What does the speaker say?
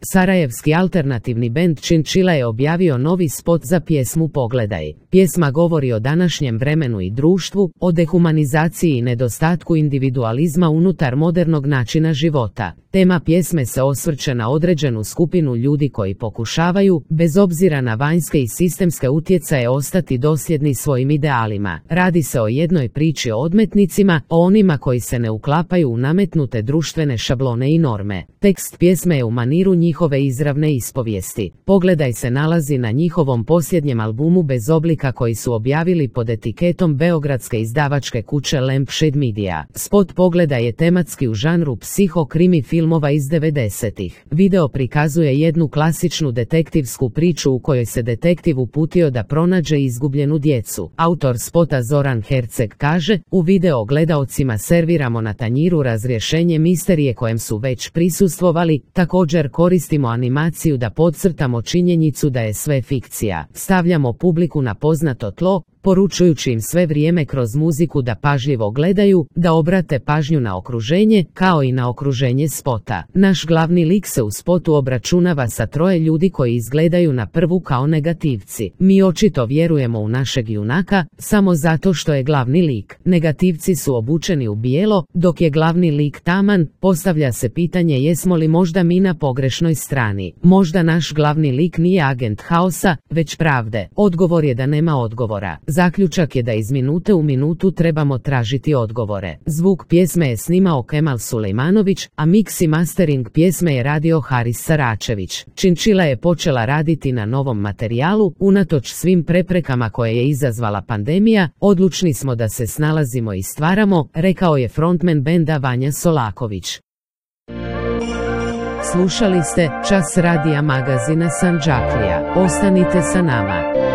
Sarajevski alternativni bend Chinchilla je objavio novi spot za pjesmu Pogledaj. Pjesma govori o današnjem vremenu i društvu, o dehumanizaciji i nedostatku individualizma unutar modernog načina života. Tema pjesme se osvrće na određenu skupinu ljudi koji pokušavaju, bez obzira na vanjske i sistemske utjecaje, ostati dosljedni svojim idealima. Radi se o jednoj priči o odmetnicima, o onima koji se ne uklapaju u nametnute društvene šablone i norme. Tekst pjesme je u maniru njihove izravne ispovijesti. Pogledaj se nalazi na njihovom posljednjem albumu Bez oblika koji su objavili pod etiketom beogradske izdavačke kuće Lampshade Media. Spot Pogledaj je tematski u žanru psiho-krimi filmova iz 90-ih. Video prikazuje jednu klasičnu detektivsku priču u kojoj se detektiv uputio da pronađe izgubljenu djecu. Autor spota Zoran Herceg kaže: u video gledaocima serviramo na tanjiru razrješenje misterije kojem su već prisustvovali, također koristimo animaciju da podcrtamo činjenicu da je sve fikcija. Stavljamo publiku na poznato tlo, poručujući im sve vrijeme kroz muziku da pažljivo gledaju, da obrate pažnju na okruženje, kao i na okruženje spota. Naš glavni lik se u spotu obračunava sa troje ljudi koji izgledaju na prvu kao negativci. Mi očito vjerujemo u našeg junaka, samo zato što je glavni lik. Negativci su obučeni u bijelo, dok je glavni lik taman. Postavlja se pitanje jesmo li možda mi na pogrešnoj strani. Možda naš glavni lik nije agent haosa, već pravde. Odgovor je da nema odgovora. Zaključak je da iz minute u minutu trebamo tražiti odgovore. Zvuk pjesme je snimao Kemal Sulejmanović, a mix i mastering pjesme je radio Haris Saračević. Chinchilla je počela raditi na novom materijalu, unatoč svim preprekama koje je izazvala pandemija. Odlučni smo da se snalazimo i stvaramo, rekao je frontman benda Vanja Solaković. Slušali ste Čas radija magazina Sandžaklija. Ostanite sa nama.